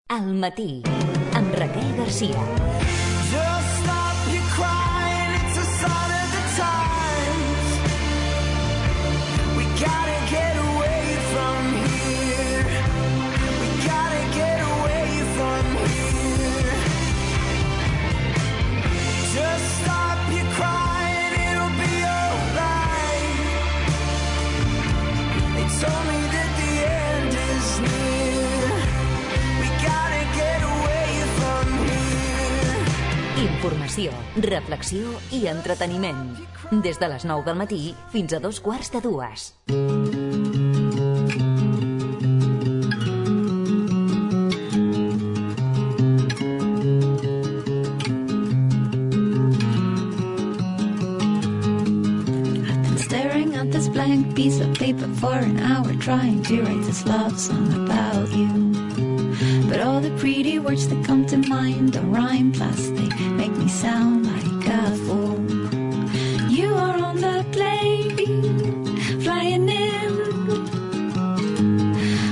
Al matí, amb Raquel Garcia. Just stop your crying, it's a sign of the times. We gotta get away from here. We gotta get away from here. Just stop your crying, it'll be alright. They told me that the end is near. We gotta get away from here. Informació, reflexió i entreteniment. Des de les 9 del matí fins a 2:15. I've been staring at this blank piece of paper for an hour, trying to write this love song about you. But all the pretty words that come to mind don't rhyme, plus they make me sound like a fool. You are on the plane, flying in,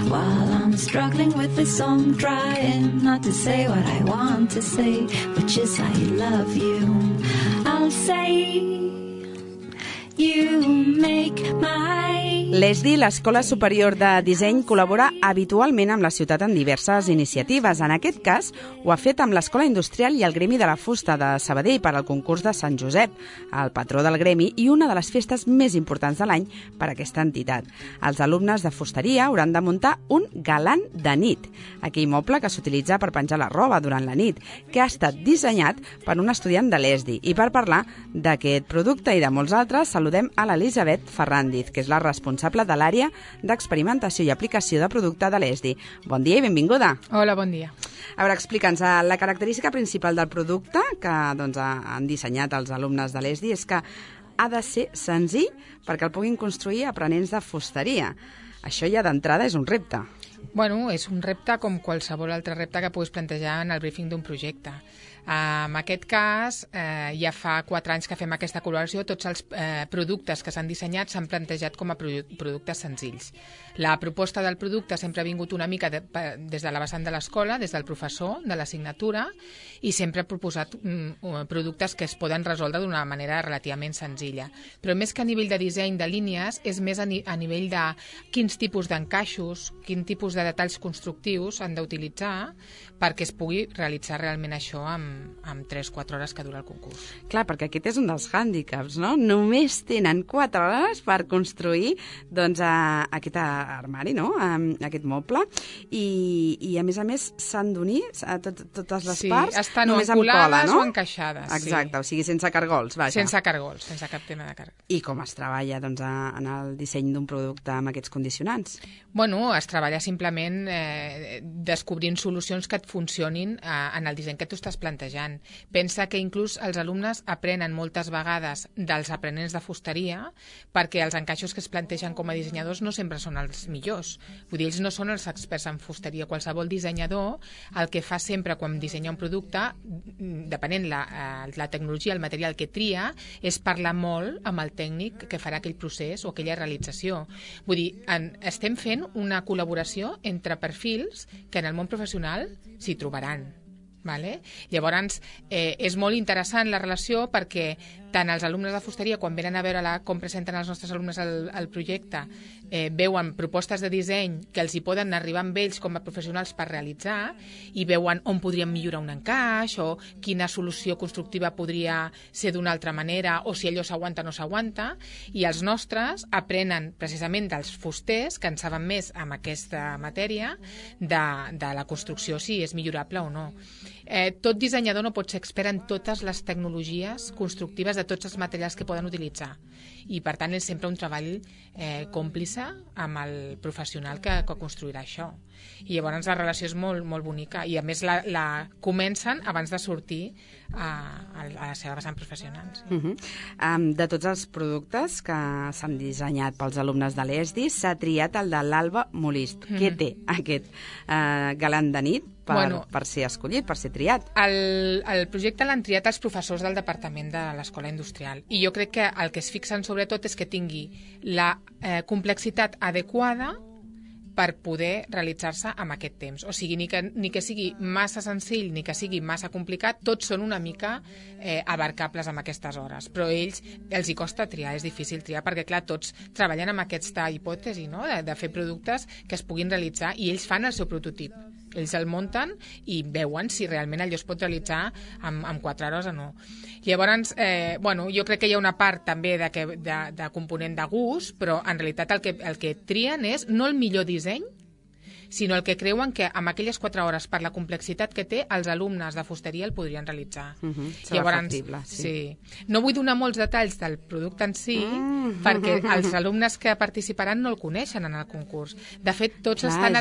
while I'm struggling with this song, trying not to say what I want to say, which is I love you. I'll say you make my... L'ESDI, l'Escola Superior de Disseny, col·labora habitualment amb la ciutat en diverses iniciatives. En aquest cas, ho ha fet amb l'Escola Industrial i el Gremi de la Fusta de Sabadell per al concurs de Sant Josep, el patró del gremi i una de les festes més importants de l'any per a aquesta entitat. Els alumnes de fusteria hauran de muntar un galant de nit, aquell moble que s'utilitza per penjar la roba durant la nit, que ha estat dissenyat per un estudiant de l'ESDI. I per parlar d'aquest producte i de molts altres, saludem a l'Elisabet Ferrandiz, que és la responsable de l'àrea d'experimentació i aplicació de producte de l'ESDI. Bon dia i benvinguda. Hola, bon dia. A veure, explica'ns, la característica principal del producte que han dissenyat els alumnes de l'ESDI és que ha de ser senzill perquè el puguin construir aprenents de fusteria. Això ja d'entrada és un repte. Bueno, és un repte com qualsevol altre repte que puguis plantejar en el briefing d'un projecte. En aquest cas, ja fa 4 anys que fem aquesta col·laboració, tots els productes que s'han dissenyat s'han plantejat com a productes senzills. La proposta del producte sempre ha vingut una mica des de la vessant de l'escola, des del professor, de l'assignatura, i sempre ha proposat productes que es poden resoldre d'una manera relativament senzilla. Però més que a nivell de disseny de línies, és més a nivell de quins tipus d'encaixos, quin tipus de detalls constructius han d'utilitzar perquè es pugui realitzar realment això amb 3-4 hores que dura el concurs. Clar, perquè aquest és un dels hàndicaps, no? Només tenen 4 hores per construir doncs, aquest armari, no? Aquest moble, i a més s'han d'unir totes les parts, estan només amb cola, no? O encaixades. Exacte, o sigui, sense cargols, vaja. Sense cargols, sense cap tema de cargols. I com es treballa doncs, en el disseny d'un producte amb aquests condicionants? Bueno, es treballa simplement descobrint solucions que et funcionin en el disseny que tu estàs plantejant. Pensa que inclús els alumnes aprenen moltes vegades dels aprenents de fusteria perquè els encaixos que es plantegen com a dissenyadors no sempre són els millors. Vull dir, ells no són els experts en fusteria. Qualsevol dissenyador el que fa sempre quan dissenya un producte, depenent la tecnologia, el material que tria, és parlar molt amb el tècnic que farà aquell procés o aquella realització. Vull dir, estem fent una col·laboració entre perfils que en el món professional s'hi trobaran. Vale? Llavors, és molt interessant la relació perquè tant els alumnes de fusteria, quan venen a veure com presenten els nostres alumnes el projecte, veuen propostes de disseny que els hi poden arribar amb ells com a professionals per realitzar i veuen on podrien millorar un encaix o quina solució constructiva podria ser d'una altra manera o si allò s'aguanta o no s'aguanta, i els nostres aprenen precisament dels fusters que en saben més amb aquesta matèria de la construcció, si és millorable o no. Tot dissenyador no pot ser expert en totes les tecnologies constructives de tots els materials que poden utilitzar, i per tant és sempre un treball còmplice amb el professional que construirà això, i llavors la relació és molt, molt bonica, i a més la comencen abans de sortir a la seva vessant professionals. De tots els productes que s'han dissenyat pels alumnes de l'ESDI, s'ha triat el de l'Alba Molist. Què té aquest galant de nit per ser escollit, per ser triat? El projecte l'han triat els professors del departament de l'Escola Industrial, i jo crec que el que es fixen sobretot és que tingui la complexitat adequada per poder realitzar-se amb aquest temps. O sigui, ni que sigui massa senzill ni que sigui massa complicat, tots són una mica abarcables amb aquestes hores. Però els hi costa triar, és difícil triar, perquè clar, tots treballen amb aquesta hipòtesi, no? de fer productes que es puguin realitzar, i ells fan el seu prototip. Ells el munten i veuen si realment allò es pot realitzar en 4 hores o no. Llavors, jo crec que hi ha una part també de component de gust, però en realitat el que trien és no el millor disseny, sinó el que creuen que amb aquelles 4 hores, per la complexitat que té, els alumnes de fusteria el podrien realitzar. Serà factible, sí. No vull donar molts detalls del producte en si, perquè els alumnes que participaran no el coneixen en el concurs. De fet, tots estan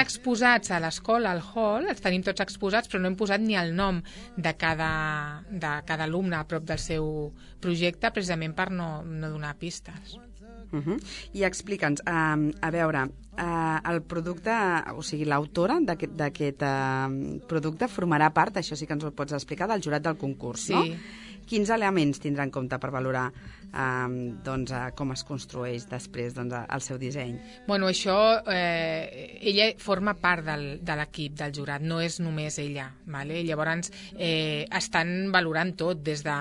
exposats a l'escola, al hall, els tenim tots exposats, però no hem posat ni el nom de cada alumne a prop del seu projecte, precisament per no donar pistes. I explica'ns, a veure, el producte, o sigui, l'autora d'aquest producte formarà part, això sí que ens ho pots explicar, del jurat del concurs, no? Quins elements tindrà en compte per valorar com es construeix després el seu disseny? Bueno, això, ella forma part de l'equip del jurat, no és només ella. Vale? Llavors, estan valorant tot, des de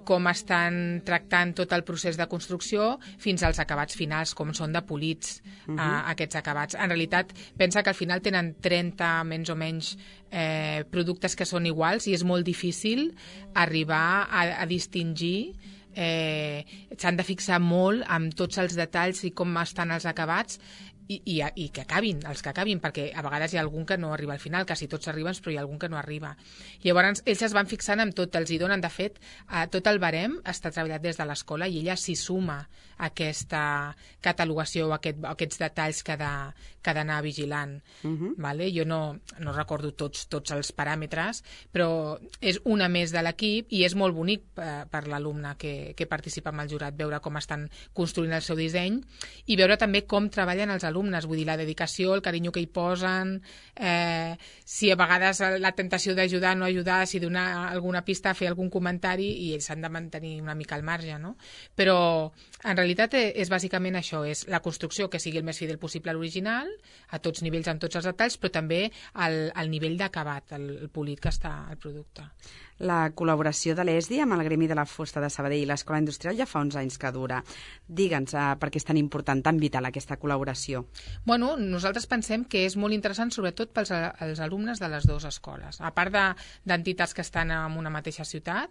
com estan tractant tot el procés de construcció fins als acabats finals, com són de polits aquests acabats. En realitat, pensa que al final tenen 30 menys o menys productes que són iguals i és molt difícil arribar a distingir. S'han de fixar molt amb tots els detalls i com estan els acabats i que acabin, els que acabin, perquè a vegades hi ha algun que no arriba al final, quasi tots arriben, però hi ha algun que no arriba. Llavors, ells es van fixant amb tot, els hi donen, de fet, tot el barem està treballat des de l'escola i ella s'hi suma a aquesta catalogació o aquests detalls que ha d'anar vigilant. Vale? Jo no recordo tots els paràmetres, però és una més de l'equip i és molt bonic per l'alumne que participa amb el jurat, veure com estan construint el seu disseny i veure també com treballen els alumnes, vull dir, la dedicació, el carinyo que hi posen, si a vegades la tentació d'ajudar o no ajudar, si donar alguna pista, fer algun comentari, i ells s'han de mantenir una mica al marge, no? Però en realitat és bàsicament això, és la construcció que sigui el més fidel possible a l'original, a tots nivells, amb tots els detalls, però també el nivell d'acabat, el polit que està al producte. La col·laboració de l'ESDI amb el Gremi de la Fusta de Sabadell i l'Escola Industrial ja fa uns anys que dura. Digue'ns per què és tan important, tan vital aquesta col·laboració. Bueno, nosaltres pensem que és molt interessant sobretot pels alumnes de les dues escoles. A part d'entitats que estan en una mateixa ciutat,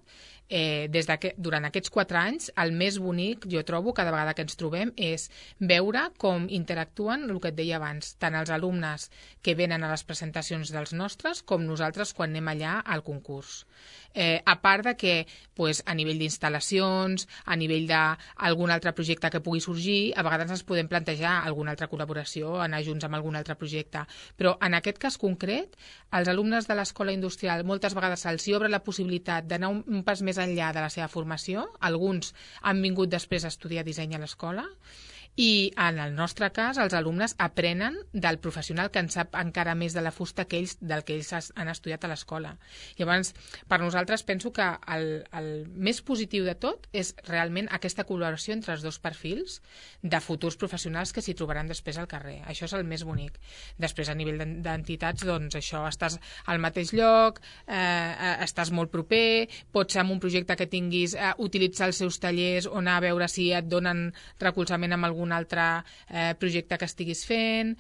durant aquests 4 anys, el més bonic, jo trobo, cada vegada que ens trobem, és veure com interactuen, el que et deia abans, tant els alumnes que venen a les presentacions dels nostres com nosaltres quan anem allà al concurs. A part de que a nivell d'instal·lacions, a nivell d'algun altre projecte que pugui sorgir, a vegades ens podem plantejar alguna altra col·laboració, anar junts amb algun altre projecte. Però en aquest cas concret, als alumnes de l'Escola Industrial moltes vegades se'ls obre la possibilitat d'anar un pas més enllà de la seva formació. Alguns han vingut després a estudiar disseny a l'escola, i en el nostre cas els alumnes aprenen del professional que en sap encara més de la fusta del que ells han estudiat a l'escola. Llavors, per nosaltres penso que el més positiu de tot és realment aquesta col·laboració entre els dos perfils de futurs professionals que s'hi trobaran després al carrer. Això és el més bonic. Després, a nivell d'entitats, doncs això, estàs al mateix lloc, estàs molt proper, pots amb un projecte que tinguis utilitzar els seus tallers o anar a veure si et donen recolzament amb algun altre projecte que estiguis fent.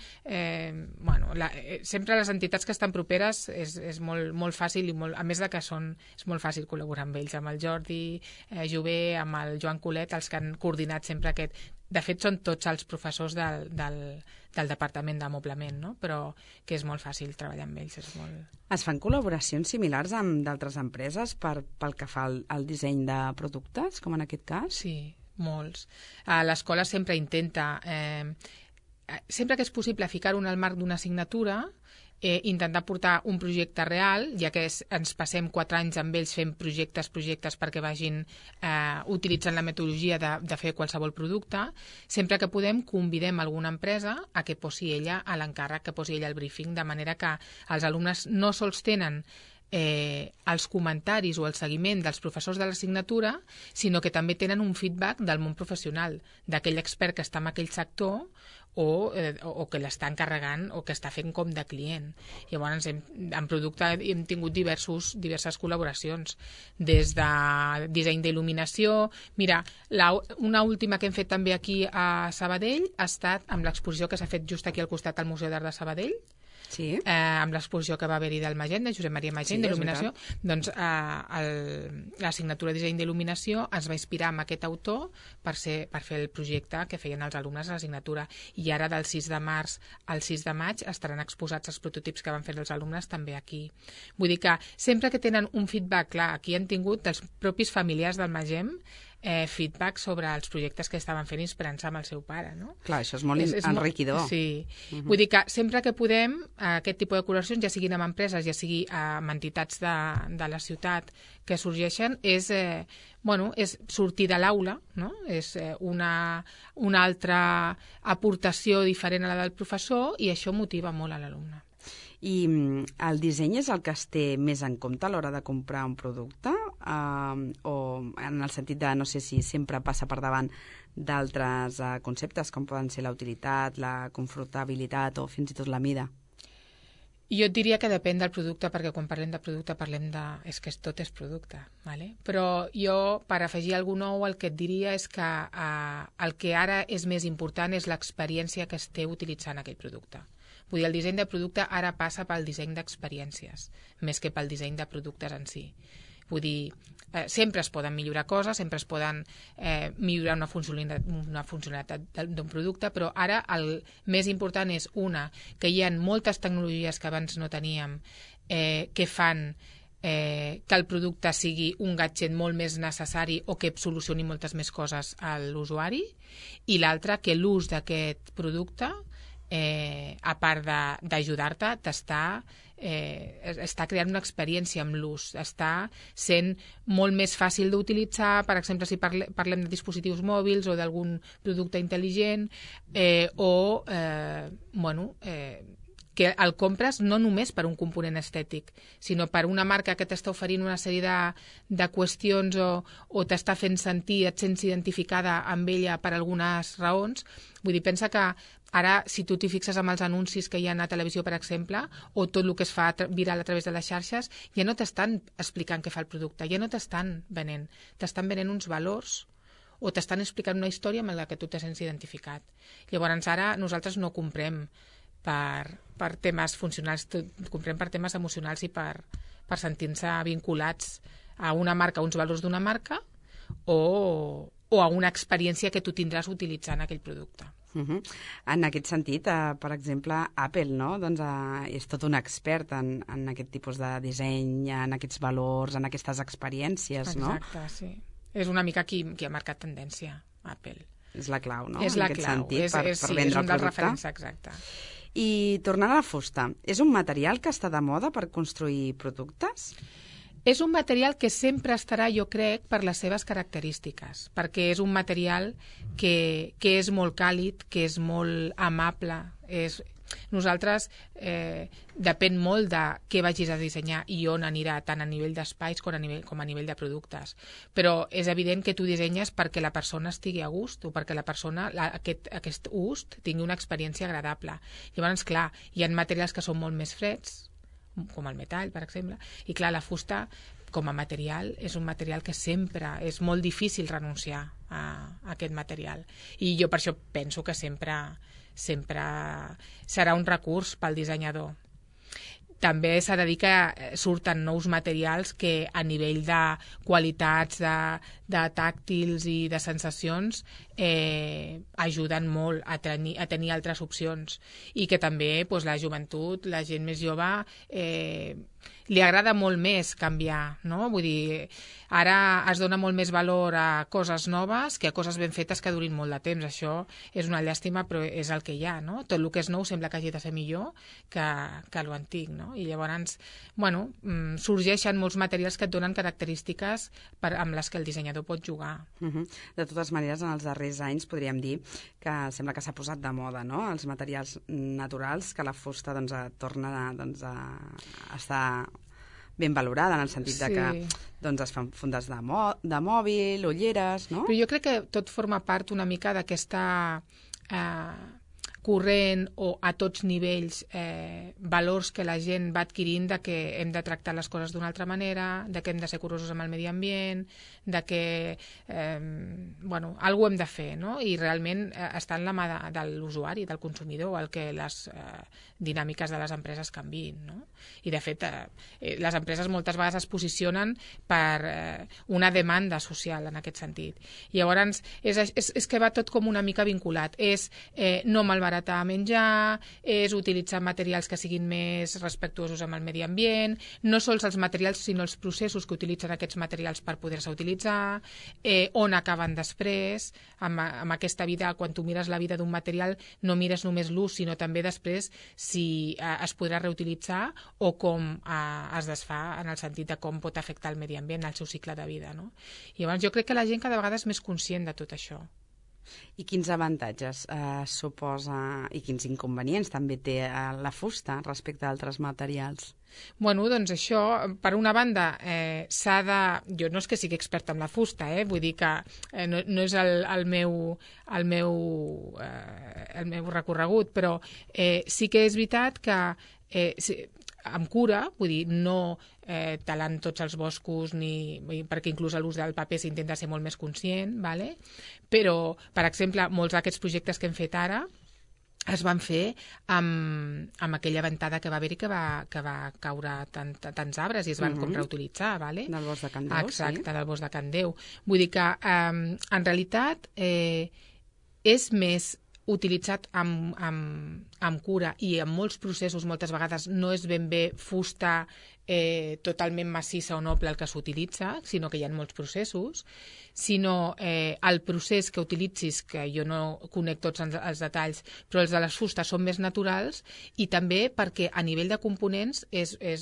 Sempre les entitats que estan properes és molt fàcil, i a més de que és molt fàcil col·laborar amb ells, amb el Jordi Jové, amb el Joan Colet, els que han coordinat sempre aquest. De fet, són tots els professors del Departament d'Amoblament, no? Però que és molt fàcil treballar amb ells. Es fan col·laboracions similars amb d'altres empreses pel que fa al disseny de productes, com en aquest cas? Sí, molts. L'escola sempre intenta, sempre que és possible, ficar-ho en el marc d'una assignatura, intentar portar un projecte real, ja que ens passem 4 anys amb ells fent projectes perquè vagin utilitzant la metodologia de fer qualsevol producte. Sempre que podem, convidem alguna empresa a que posi ella a l'encàrrec, que posi ella el briefing, de manera que els alumnes no sols tenen els comentaris o el seguiment dels professors de l'assignatura, sinó que també tenen un feedback del món professional, d'aquell expert que està en aquell sector o que l'està encarregant o que està fent com de client. Llavors, en producte hem tingut diverses col·laboracions, des de disseny d'il·luminació. Mira, una última que hem fet també aquí a Sabadell ha estat amb l'exposició que s'ha fet just aquí al costat al Museu d'Art de Sabadell, Sí. Amb l'exposició que va haver-hi del Magent, de Josep Maria Magent, d'il·luminació. Doncs l'assignatura de disseny d'il·luminació es va inspirar en aquest autor per fer el projecte que feien els alumnes a l'assignatura. I ara del 6 de març al 6 de maig estaran exposats els prototips que van fer els alumnes també aquí. Vull dir que sempre que tenen un feedback, clar, aquí han tingut dels propis familiars del Magent feedback sobre els projectes que estaven fent inspirant-se amb el seu pare, no? Clar, això és molt enriquidor. Sí. Vull dir que sempre que podem, aquest tipus de col·laboracions, ja siguin amb empreses, ja sigui amb entitats de la ciutat que sorgeixen, és sortir de l'aula, no? És una altra aportació diferent a la del professor i això motiva molt a l'alumne. I el disseny és el que es té més en compte a l'hora de comprar un producte? O en el sentit de, no sé si sempre passa per davant d'altres conceptes, com poden ser la utilitat, la confortabilitat o fins i tot la mida? Jo et diria que depèn del producte, perquè quan parlem de producte és que tot és producte, ¿vale? Però jo, per afegir alguna nou, el que et diria és que el que ara és més important és l'experiència que es té utilitzant aquell producte. Vull dir, el disseny de producte ara passa pel disseny d'experiències, més que pel disseny de productes en si. Vull dir, sempre es poden millorar coses, sempre es poden millorar una funcionalitat d'un producte, però ara el més important és, que hi ha moltes tecnologies que abans no teníem que fan que el producte sigui un gadget molt més necessari o que solucioni moltes més coses a l'usuari, i l'altra, que l'ús d'aquest producte, a part d'ajudar-te, està creant una experiència amb l'ús, està sent molt més fàcil d'utilitzar, per exemple, si parlem de dispositius mòbils o d'algun producte intel·ligent, que el compres no només per un component estètic, sinó per una marca que t'està oferint una sèrie de qüestions o t'està fent sentir, et sents identificada amb ella per algunes raons. Vull dir, pensa que ara, si tu t'hi fixes amb els anuncis que hi ha a televisió, per exemple, o tot el que es fa viral a través de les xarxes, ja no t'estan explicant què fa el producte, ja no t'estan venent uns valors o t'estan explicant una història amb la que tu te sents identificat. Llavors, ara nosaltres no comprem per temes funcionals, comprem per temes emocionals i per sentir-se vinculats a una marca, a uns valors d'una marca o a una experiència que tu tindràs utilitzant aquell producte. En aquest sentit, per exemple, Apple, no? Doncs, és tot un expert en aquest tipus de disseny, en aquests valors, en aquestes experiències, no? Exacte, sí. És una mica qui ha marcat tendència, Apple. És la clau, no? És la en aquest clau, sentit, per vendre el producte. és un dels referents, exacte. I tornant a la fusta, és un material que està de moda per construir productes? És un material que sempre estarà, jo crec, per les seves característiques, perquè és un material que és molt càlid, que és molt amable. Nosaltres depèn molt de què vagis a dissenyar i on anirà, tant a nivell d'espais com a nivell de productes. Però és evident que tu dissenyes perquè la persona estigui a gust o perquè la persona, aquest gust, tingui una experiència agradable. Llavors, clar, hi ha materials que són molt més freds, com el metall, per exemple, i clar, la fusta com a material és un material que sempre és molt difícil renunciar a aquest material, i jo per això penso que sempre serà un recurs pel dissenyador. També s'ha de dir que surten nous materials que a nivell de qualitats, de tàctils i de sensacions ajuden molt a tenir altres opcions, i que també la joventut, la gent més jove, li agrada molt més canviar, no? Vull dir, ara es dona molt més valor a coses noves que a coses ben fetes que durin molt de temps. Això és una llàstima, però és el que hi ha, no? Tot el que és nou sembla que hagi de ser millor que l'antic, no? I llavors, sorgeixen molts materials que et donen característiques amb les que el dissenyador pot jugar. De totes maneres, en els darrers anys podríem dir que sembla que s'ha posat de moda, no?, els materials naturals, que la fusta torna a estar ben valorada, en el sentit de que doncs, es fan fundes de mòbil, ulleres, no? Però jo crec que tot forma part una mica d'aquesta corrent o a tots nivells valors que la gent va adquirint de que hem de tractar les coses d'una altra manera, de que hem de ser curosos amb el medi ambient, de que alguna cosa hem de fer, no? I realment està en la mà de l'usuari, del consumidor, el que les dinàmiques de les empreses canviïn, no? I de fet les empreses moltes vegades es posicionen per una demanda social en aquest sentit. I llavors és que va tot com una mica vinculat. És no malbaratar menjar, és utilitzar materials que siguin més respectuosos amb el medi ambient, no sols els materials sinó els processos que utilitzen aquests materials per poder-se utilitzar, on acaben després, amb aquesta vida, quan tu mires la vida d'un material no mires només l'ús, sinó també després si es podrà reutilitzar o com es desfà en el sentit de com pot afectar el medi ambient, el seu cicle de vida, no? I llavors jo crec que la gent cada vegada és més conscient de tot això. I quins avantatges suposa i quins inconvenients també té la fusta respecte a altres materials? Bueno, doncs això, per una banda, s'ha de... Jo no és que sigui experta en la fusta, vull dir que no és el meu recorregut, però sí que és veritat que amb cura, vull dir, no talant tots els boscos, perquè inclús l'ús del paper s'intenta ser molt més conscient, ¿vale? Però, per exemple, molts d'aquests projectes que hem fet ara es van fer amb aquella ventada que va haver-hi que va caure tants arbres i es van com reutilitzar, ¿vale? Del bosc de Can Déu, exacte, del bosc de Can Déu. Vull dir que, en realitat, és més utilitzat amb cura i amb molts processos, moltes vegades no és ben bé fusta totalment massissa o noble el que s'utilitza, sinó que hi ha molts processos, sinó el procés que utilitzis, que jo no conec tots els detalls, però els de les fustes són més naturals i també perquè a nivell de components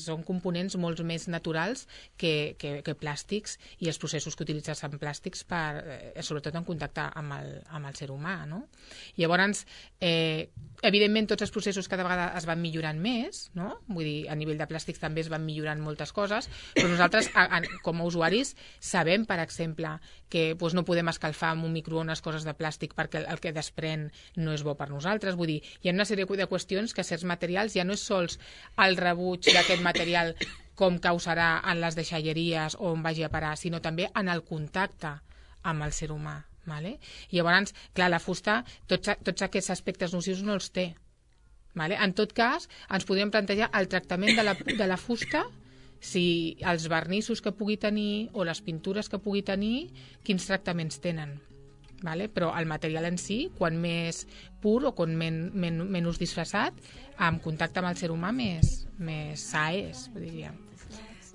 són components molt més naturals que plàstics i els processos que utilitzes en plàstics sobretot en contacte amb el ser humà, no? Llavors, evidentment tots els processos cada vegada es van millorant més, no? Vull dir, a nivell de plàstics també es van millorant moltes coses, però nosaltres com a usuaris sabem, per exemple, que no podem escalfar amb un microones coses de plàstic perquè el que desprèn no és bo per nosaltres. Vull dir, hi ha una sèrie de qüestions que certs materials ja no és sols el rebuig d'aquest material com causarà en les deixalleries o on vagi a parar, sinó també en el contacte amb el ser humà. Vale? I llavors, clar, la fusta, tots aquests aspectes nocius no els té. Vale? En tot cas, ens podríem plantejar el tractament de la fusta, si els vernissos que pugui tenir o les pintures que pugui tenir, quins tractaments tenen. Vale? Però el material en si, quan més pur o quan menys disfressat, en contacte amb el ser humà més sa és, diríem.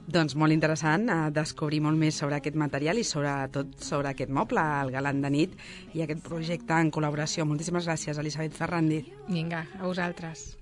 Doncs molt interessant descobrir molt més sobre aquest material i sobretot sobre aquest moble, el Galant de nit, i aquest projecte en col·laboració. Moltíssimes gràcies, Elisabet Ferrandiz. Vinga, a vosaltres.